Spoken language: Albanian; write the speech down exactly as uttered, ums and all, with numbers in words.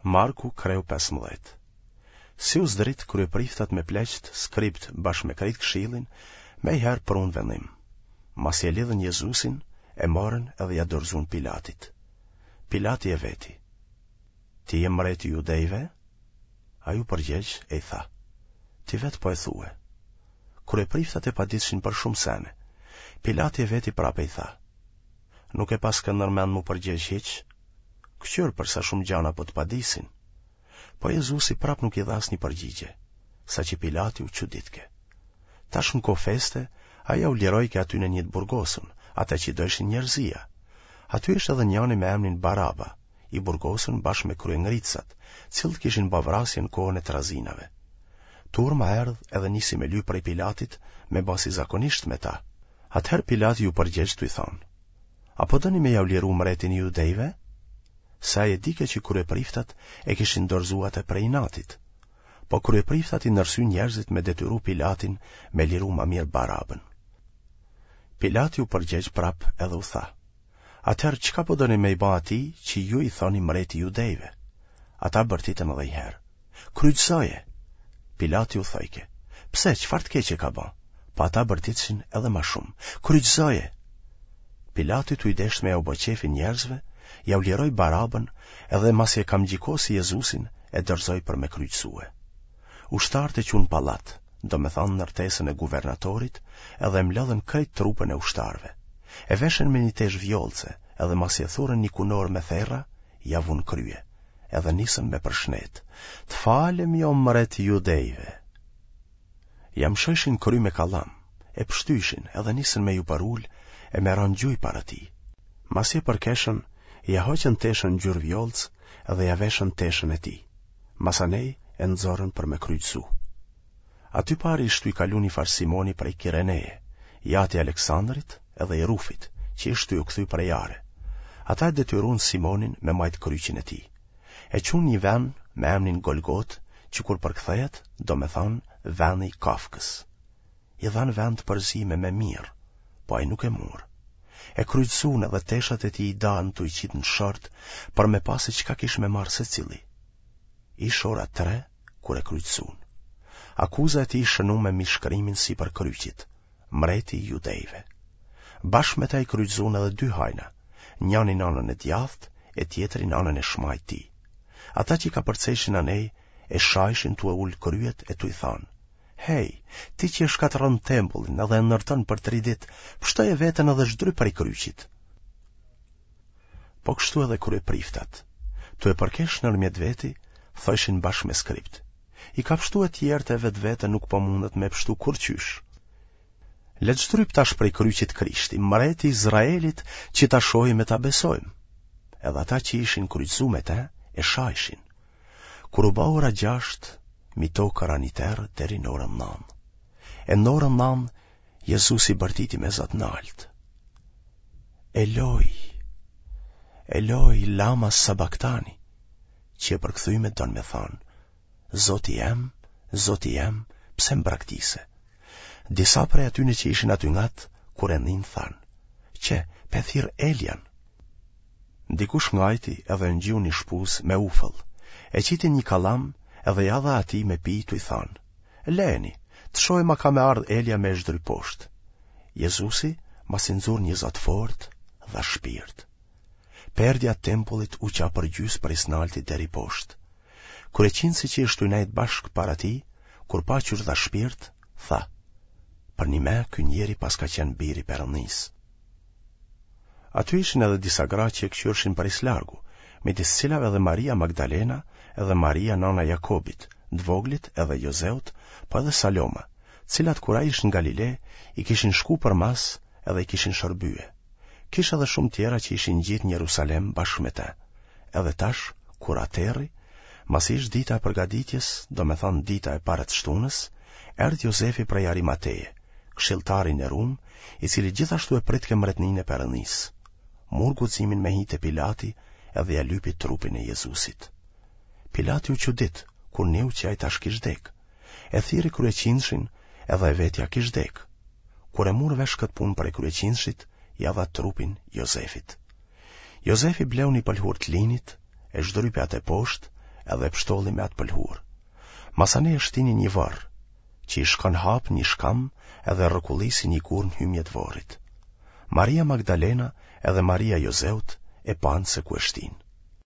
Marku kreu pesëmbëdhjetë. Si u zdrit kryepriftat me pleqtë, skribt bashkë me krejt këshillin, mejherë prunë vendim. Masi e lidhën Jezusin, e morën edhe ja dorëzuan Pilatit. Pilati e veti. Ti je mreti i judejve? Ai u përgjegj e i tha. Ti vetë po e thue. Kryepriftat e paditshin për shumë sene. Pilati e veti prapë e i tha. Nuk e paske ndërmend m'u përgjegj hiç? Këqyr për sa shumë gjana po të padisin. Po Jezusi prap nuk i dha asnjë përgjigje, saqë Pilati u çuditke. Tash në kohë feste, ai jau lirojke atyne një të burgosun, atë që dojshin njerëzia. Aty ishte edhe njani me emnin Baraba, i burgosun bashkë me kryengritësat, cilët kishin ba vrasje në kohën e trazinave. Turma erdh edhe nisi me lyp prej Pilatit me ba si zakonisht me ta. Atëherë Pilati ju përgjegj tuj thonë, A po doni me jau liru mretin e judejve? Se ai e dike që kryepriftat e kishin dorëzu atë prej inatit. Po kryepriftat i ndërsyn njerëzit me detyru Pilatin me liru ma mirë Barabën. Pilati u përgjegj prap edhe u tha, Atëherë çka po doni me i ba atij që ju i thoni mreti i judejve? Ata bërtitën edhe një herë. Kryqëzoje! Pilati u thojke, Pse, çfarë të keqe ka ba? Po ata bërtitshin edhe ma shumë, Kryqëzoje! Pilati tuj deshtë me jau ba qefin njerëzve, jau liroi Barabën edhe masi e kamxhikosi Jezusin e dorëzoi për me kryqëzue. Ushtarët e çunë n'pallat, domethanë ndërtesën e guvernatorit, edhe e mblodhën krejt trupën e ushtarëve. E veshën me një teshë vjollce, edhe masi e thurën një kunorë me therra, ja vunë n'krye, edhe nisën me përshnet. Të falemi o mret i judejve! Ja mshojshin n'kry me kallam, e pështyjshin edhe nisën me ju përul e me ra n'gjuj para tij. Masi e përkeshën, ja hoqën teshën ngjyrë vjollcë edhe ja veshën teshën e tij. Masanej e nxorën për me kryqëzu. Aty pari ish tuj kalu një farë Simoni prej Kireneje, i ati i Aleksandrit edhe i Rufit, që ish tuj u kthy prej are. Ata e detyrun Simonin me majtë kryqin e tij. E çunë n'një ven me emnin Golgotë, që kur përkthehet, domethanë veni i kafkës. I dhanë venë të përzime me mirë, po ai nuk e mur. E kryqëzuan edhe teshat e tij i danë tuj qitë në short për me pa se çka kish me marrë secili. Ish ora tre kur e kryqëzuan. Akuza e tij ish shënume me shkrimin sipër kryqit, mreti i judejve. Bashkë me ta i kryqëzuan edhe dy hajna, njani në anën e djathtë e tjetri në anën e shmajtë tij. Ata që kapërcejshin anej e shajshin tu e ulë kryet e tuj thanë, Hej, ti që e shkatërron tempullin edhe e ndërton për tri ditë, pështoje veten edhe zhdryp prej kryqit. Po kështu edhe kryepriftat, tu e përkesh nërmjet veti, thojshin bashkë me skribt. I ka pështue tjerët e vetveten nuk po mundet me pështu kurqysh. Le të zhdryp tash prej kryqit Krishti, mreti i Izraelit, që ta shohim e ta besojmë. Edhe ata që ishin kryqëzu me te, e shajshin. Kur u ba ora gjashtë, mi tokë ra një terr deri në orën nanë. E në orën nanë, Jezusi bërtiti me za t'naltë. Eloi, Eloi, lama sabaktani, që e përkthyme don me thanë, Zoti jem, Zoti jem, pse më braktise? Disa prej atyne që ishin aty ngat, kur e ninë thanë, qe, pe thirr Elian. Dikush ngajti edhe e ngjiu një shpuzë me ufëll, e qiti n'një kallam edhe ja dha atij me pi tuj thanë, Leni, të shohim a ka me ardhë Elia me e zhdryp poshtë. Jezusi, masi nxuri një za të fortë, dha shpirt. Perdja e tempullit u qa përgjysë prej s'nalti deri poshtë. Kryeqindësi që ish tuj nejtë bashkë para tij, kur pa qysh dha shpirt, tha, Përnime ky njeri paska qenë biri i Perëndisë. Aty ishin edhe disa gra që e këqyrshin prej s'largu, midis cilave edhe Maria Magdalena, edhe Maria nana e Jakobit, të voglit edhe Jozeut, po edhe Saloma, cilat kur ai ish në Galile, i kishin shku përmas edhe i kishin shërbye. Kish edhe shumë tjera që ishin ngjitë në Jerusalem bashkë me te. Edhe tash, kur ra terri, masi ish dita e përgatitjes, domethanë dita e parë e të shtunës, erdh Jozefi prej Arimateje, këshilltar i nderum, i cili gjithashtu e pritke mbretninë e Perëndisë. Mur guximin me hi te Pilati edhe ja lypi trupin e Jezusit. Pilati u çudit, kur niu që ai tash kish dek. E thirri kryeqindëshin edhe e veti a kish dek. Kur e mur vesh këtë punë prej kryeqindëshit, ja dha trupin Jozefit. Jozefi bleu një pëlhurë të linit, e zhdrypi atë poshtë, edhe e pshtolli me atë pëlhurë. Masanej e shtini n'nji vorr, që ish kanë hapë n'nji shkamb edhe rrokullisi nji gur në hymje të vorrit. Maria Magdalena edhe Maria Jozeut e panë se ku e shtinë.